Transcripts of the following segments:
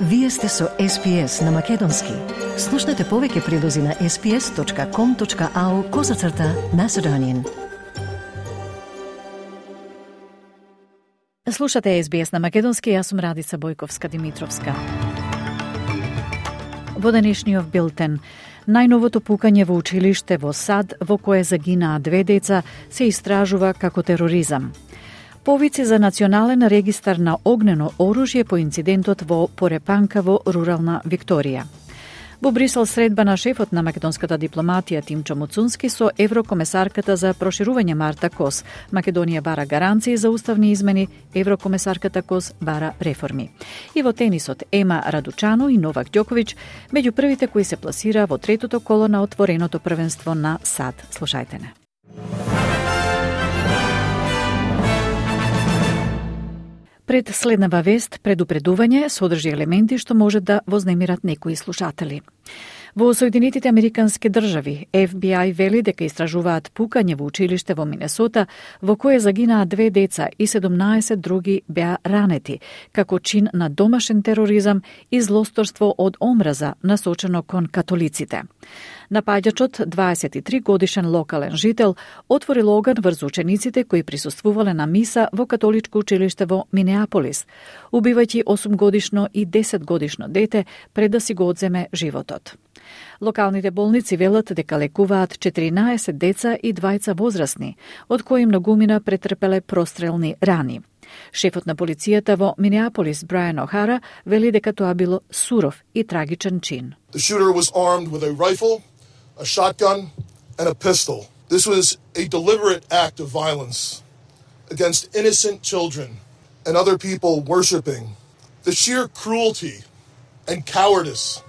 Вие сте со SPS на Македонски. Слушнете повеќе прилози на sps.com.au/Macedonian. Слушате SBS на Македонски, јас сум Радица Бојковска-Димитровска. Во денешниот билтен, најновото пукање во училиште во САД, во кое загинаа 2 деца, се истражува како тероризам. Повици за национален регистар на огнено оружје по инцидентот во Порепанка во рурална Викторија. Во Брисел средба на шефот на македонската дипломатија Тимчо Муцунски со еврокомесарката за проширување Марта Кос. Македонија бара гаранции за уставни измени, еврокомесарката Кос бара реформи. И во тенисот Ема Радучано и Новак Ѓоковиќ меѓу првите кои се пласира во третото коло на отвореното првенство на САД. Слушајте не. Пред следнава вест, предупредување содржи елементи што може да вознемират некои слушатели. Во Соединетите Американски држави, FBI вели дека истражуваат пукање во училиште во Минесота, во кое загинаа 2 деца и 17 други беа ранети, како чин на домашен тероризам и злосторство од омраза насочено кон католиците. Напаѓачот, 23 годишен локален жител, отворил оган врз учениците кои присуствувале на миса во католичко училиште во Минеаполис, убивајќи 8 годишно и 10 годишно дете пред да си го одземе животот. Локалните болници велат дека лекуваат 14 деца и 2 возрастни, од кои многумина претрпеле прострелни рани. Шефот на полицијата во Минеаполис, Брайан Охара, вели дека тоа било суров и трагичен чин. The shooter was armed with a rifle, a shotgun, and a pistol. This was a deliberate act of violence against innocent children and other people worshiping. The sheer cruelty and cowardice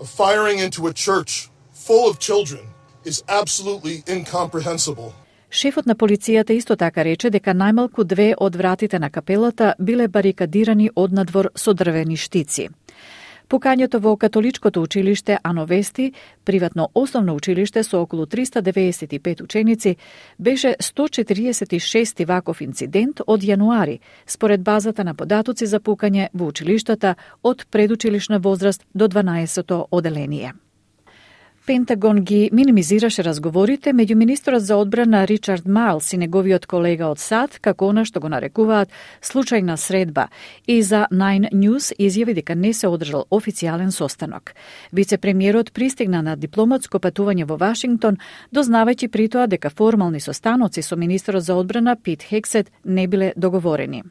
of firing into a church full of children is absolutely incomprehensible. Шефот на полицијата исто така рече дека најмалку 2 од вратите на капелата биле барикадирани однадвор со дрвени штици. Пукањето во католичкото училиште Ановести, приватно основно училиште со околу 395 ученици, беше 146 ваков инцидент од јануари, според базата на податоци за пукање во училиштата од предучилишна возраст до 12-то оделение. Пентагон ги минимизираше разговорите меѓу министерот за одбрана Ричард Майлс и неговиот колега од САД, како она што го нарекуваат случајна средба, и за Nine News изјави дека не се одржал официјален состанок. Вице-премиерот пристигна на дипломатско патување во Вашингтон, дознавајќи при тоа дека формални состаноци со министерот за одбрана Пит Хексет не биле договорени.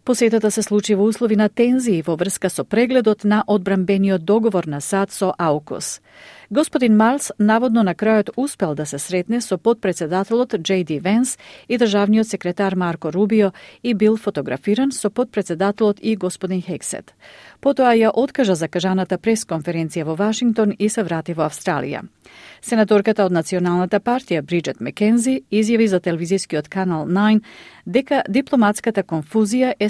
Посетата се случи во услови на тензии во врска со прегледот на одбранбениот договор на САД со АУКУС. Господин Майлс наводно на крајот успел да се сретне со подпредседателот J.D. Венс и државниот секретар Марко Рубио и бил фотографиран со подпредседателот и господин Хексет. Потоа ја откажа закажаната пресконференција во Вашингтон и се врати во Австралија. Сенаторката од Националната партија Бриджет Мекензи изјави за телевизискиот канал 9 дека дипломатската конфузија е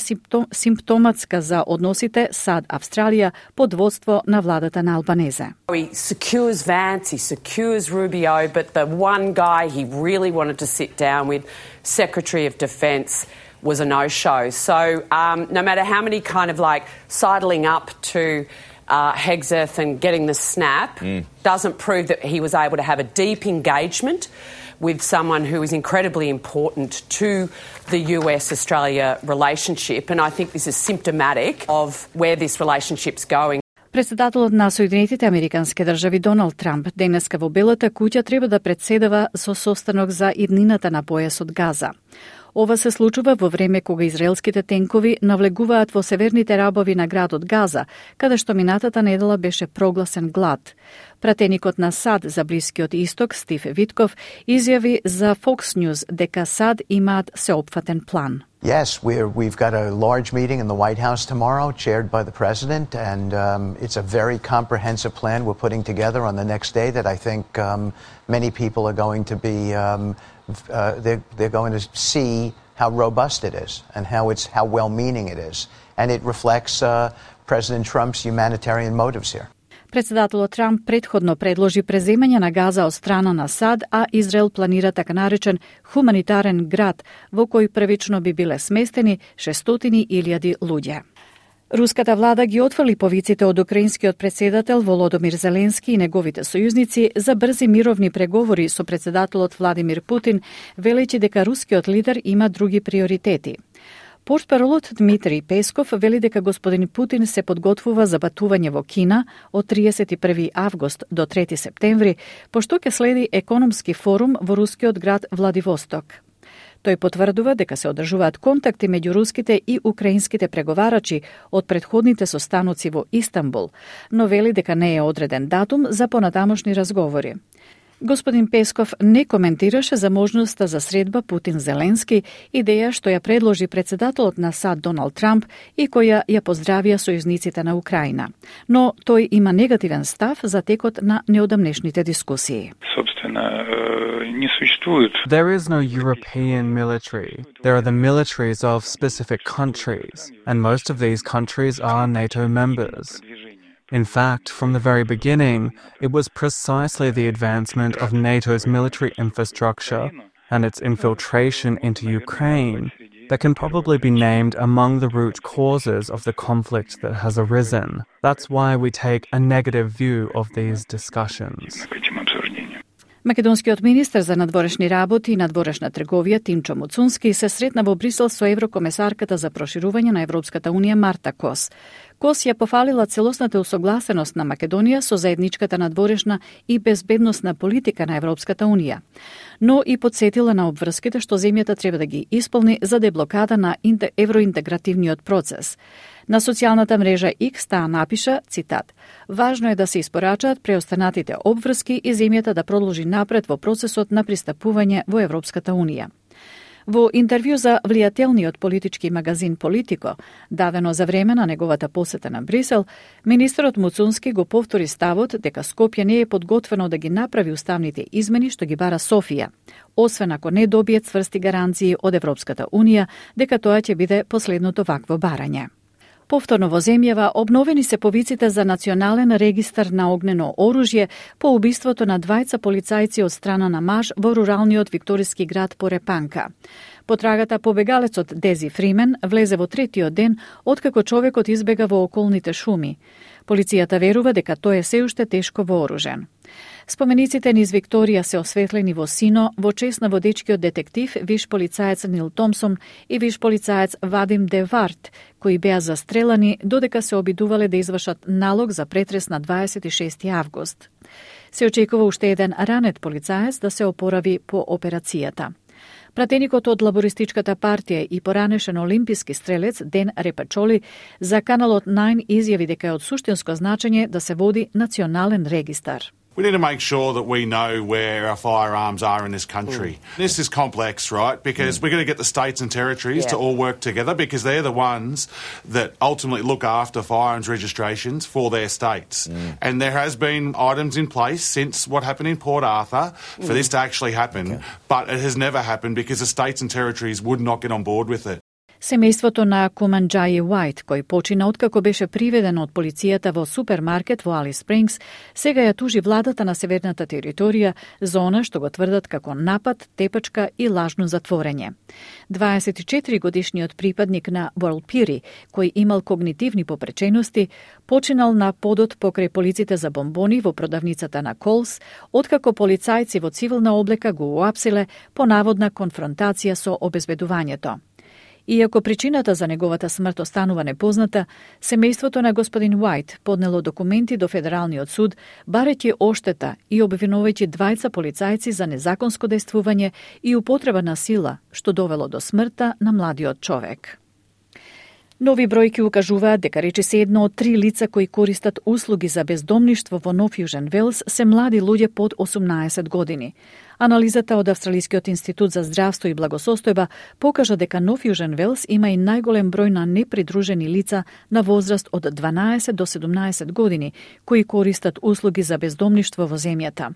симптоматска за односите САД-Австралија под водство на владата на Албанезе. He secures Vance, he secures Rubio, but the one guy he really wanted to sit down with, Secretary of Defence, was a no-show. So no matter how many kind of like sidling up to Hegseth and getting the snap, doesn't prove that he was able to have a deep engagement with someone who is incredibly important to the US-Australia relationship. And I think this is symptomatic of where this relationship's going. Председателот на Соединетите Американски држави Доналд Трамп денеска во Белата куќа треба да претседава со состанок за иднината на појасот Газа. Ова се случува во време кога израелските тенкови навлегуваат во северните рабови на градот Газа, каде што минатата недела беше прогласен глад. Пратеникот на САД за Блискиот Исток, Стив Витков, изјави за Fox News дека САД имаат сеопфатен план. Yes, we've got a large meeting in the White House tomorrow, chaired by the President, and it's a very comprehensive plan we're putting together on the next day that I think many people are going to be, they're going to see how robust it is and how well-meaning it is. And it reflects President Trump's humanitarian motives here. Председателот Трамп претходно предложи преземање на Газа од страна на САД, а Израел планира така наречен хуманитарен град, во кој првично би биле сместени 600.000 луѓе. Руската влада ги отфрли повиците од украинскиот претседател Володомир Зеленски и неговите сојузници за брзи мировни преговори со претседателот Владимир Путин, велејќи дека рускиот лидер има други приоритети. Портпаролот Дмитрий Песков вели дека господин Путин се подготвува за патување во Кина од 31 август до 3 септември, пошто ќе следи економски форум во рускиот град Владивосток. Тој потврдува дека се одржуваат контакти меѓу руските и украинските преговарачи од претходните состаноци во Истанбул, но вели дека не е одреден датум за понатамошни разговори. Господин Песков не коментираше за можноста за средба Путин-Зеленски, идеја што ја предложи претседателот на САД Доналд Трамп и која ја поздравија сојузниците на Украина. Но тој има негативен став за текот на неодамнешните дискусии. There is no European military. There are the militaries of specific countries, and most of these countries are NATO members. In fact, from the very beginning, it was precisely the advancement of NATO's military infrastructure and its infiltration into Ukraine that can probably be named among the root causes of the conflict that has arisen. That's why we take a negative view of these discussions. Македонскиот министер за надворешни работи и надворешна трговија Тимчо Муцунски се сретна во Брисел со еврокомесарката за проширување на Европската унија Марта Кос. Кос ја пофалила целосната усогласеност на Македонија со заедничката надворешна и безбедносна политика на Европската унија, но и подсетила на обврските што земјата треба да ги исполни за деблокада на евроинтегративниот процес. На социјалната мрежа X таа напиша, цитат, "Важно е да се испорачаат преостанатите обврски и земјата да продолжи напред во процесот на пристапување во Европската унија." Во интервју за влијателниот политички магазин Политико, дадено за време на неговата посета на Брисел, министерот Муцунски го повтори ставот дека Скопје не е подготвено да ги направи уставните измени што ги бара Софија, освен ако не добие цврсти гаранции од Европската унија дека тоа ќе биде последното вакво барање. Повторно во земјава обновени се повиците за национален регистар на огнено оружје по убиството на двајца полицајци од страна на маж во руралниот викториски град Порепанка. Потрагата побегалецот Дези Фримен влезе во третиот ден откако човекот избега во околните шуми. Полицијата верува дека тој е се уште тешко вооружен. Спомениците низ Викторија се осветлени во сино во чест на водечкиот детектив виш полицаец Нил Томсон и виш полицаец Вадим Де Варт, кои беа застрелани додека се обидувале да извршат налог за претрес на 26 август. Се очекува уште еден ранет полицаец да се опорави по операцијата. Пратеникот од Лабористичката партија и поранешен олимписки стрелец Ден Репачоли за каналот 9 изјави дека е од суштинско значење да се води национален регистар. We need to make sure that we know where our firearms are in this country. This is complex, right? Because we're going to get the states and territories to all work together because they're the ones that ultimately look after firearms registrations for their states. And there has been items in place since what happened in Port Arthur for this to actually happen, but it has never happened because the states and territories would not get on board with it. Семејството на Куманџаји Уајт, кој почина откако беше приведен од полицијата во супермаркет во Алис Спрингс, сега ја тужи владата на северната територија за она што го тврдат како напад, тепачка и лажно затворење. 24-годишниот припадник на World Piri, кој имал когнитивни попречености, починал на подот покрај полиците за бомбони во продавницата на Колс, откако полицајци во цивилна облека го уапсиле по наводна конфронтација со обезбедувањето. Иако причината за неговата смрт останува непозната, семејството на господин Уајт поднело документи до Федералниот суд, барејќи оштета и обвинувајќи двајца полицајци за незаконско дејствување и употреба на сила, што довело до смртта на младиот човек. Нови бројки укажуваат дека речиси 1 од 3 лица кои користат услуги за бездомништво во Нов Јужен Велс се млади луѓе под 18 години. Анализата од Австралискиот институт за здравство и благосостојба покажа дека Нов Јужен Велс има и најголем број на непридружени лица на возраст од 12 до 17 години, кои користат услуги за бездомништво во земјата.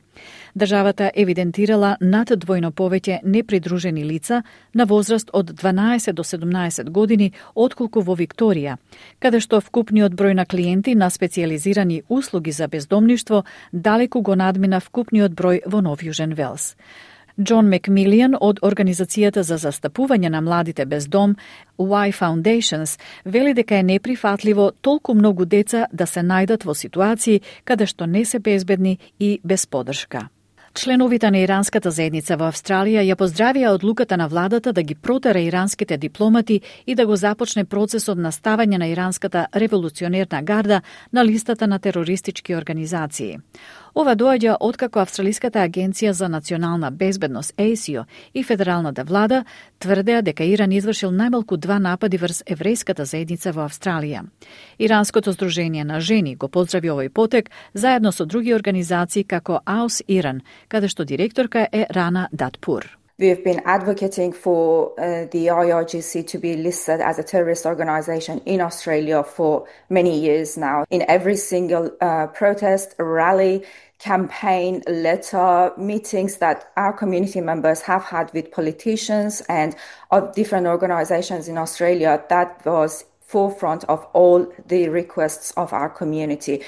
Државата евидентирала над двојно повеќе непридружени лица на возраст од 12 до 17 години отколку во Викторија, каде што вкупниот број на клиенти на специјализирани услуги за бездомништво далеку го надмина вкупниот број во Нов Јужен Велс. Џон Макмилијан од Организацијата за застапување на младите без дом, Y Foundations, вели дека е неприфатливо толку многу деца да се најдат во ситуации каде што не се безбедни и без подршка. Членовите на иранската заедница во Австралија ја поздравија одлуката на владата да ги протера иранските дипломати и да го започне процесот на ставање на иранската револуционерна гарда на листата на терористички организации. Ова доаѓа откако Австралиската агенција за национална безбедност ASIO и федералната влада тврдеа дека Иран извршил најмалку 2 напади врз еврејската заедница во Австралија. Иранското здружение на жени го поздрави овој потек заедно со други организации како AUS Иран, каде што директорка е Рана Датпур. We have been advocating for the IRGC to be listed as a terrorist organisation in Australia for many years now. In every single protest, rally, campaign, letter, meetings that our community members have had with politicians and of different organisations in Australia, that was forefront of all the requests of our community.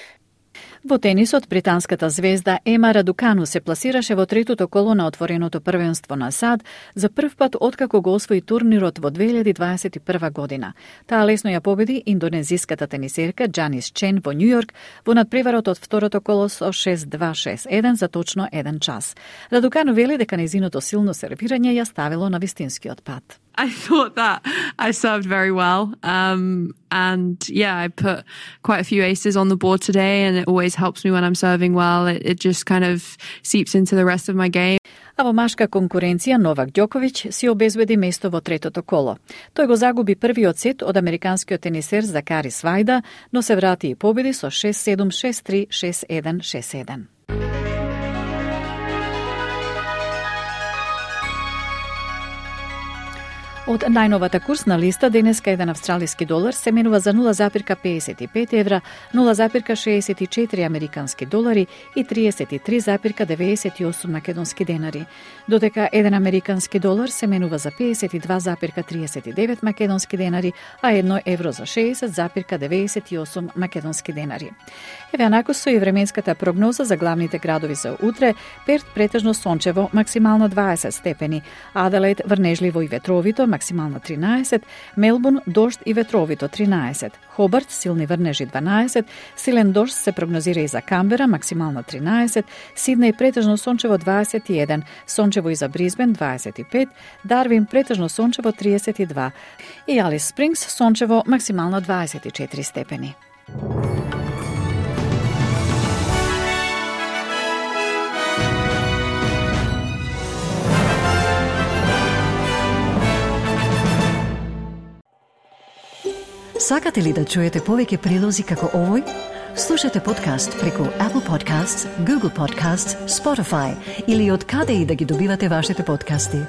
Во тенисот, британската звезда Ема Радукану се пласираше во третото коло на отвореното првенство на САД за прв пат откако го освои турнирот во 2021 година. Таа лесно ја победи индонезиската тенисерка Джанис Чен во Њујорк во надпреварот од второто коло со 6-2-6-1 за точно 1 час. Радукану вели дека нејзиното силно сервирање ја ставило на вистинскиот пат. I thought that I served very well. And yeah, I put quite a few aces on the board today, and it always helps me when I'm serving well. It just kind of seeps into the rest of my game. А во машка конкуренција Новак Ѓоковиќ си обезбеди место во третото коло. Тој го загуби првиот сет од американскиот тенисер Закари Свајда, но се врати и победи со 6-7, 6-3, 6-1, 6-1. Од најновата курсна листа денеска еден австралиски долар се менува за 0,55 евра, 0,64 американски долари и 33,98 македонски денари, додека еден американски долар се менува за 52,39 македонски денари, а 1 евро за 60,98 македонски денари. Еве анаку со и временската прогноза за главните градови за утре: Перт претежно сончево, максимално 20 степени, Аделаид врнежливо и ветровито, максимално 13, Мелбурн дожд и ветровито 13, Хобарт силни врнежи 12, силен дожд се прогнозира и за Камбера, максимално 13, Сиднеј претежно сончево 21, сончево и за Брисбен 25, Дарвин претежно сончево 32 и Алис Спрингс сончево максимално 24 степени. Сакате ли да чуете повеќе прилози како овој? Слушате подкаст преку Apple Podcasts, Google Podcasts, Spotify или од каде и да ги добивате вашите подкасти.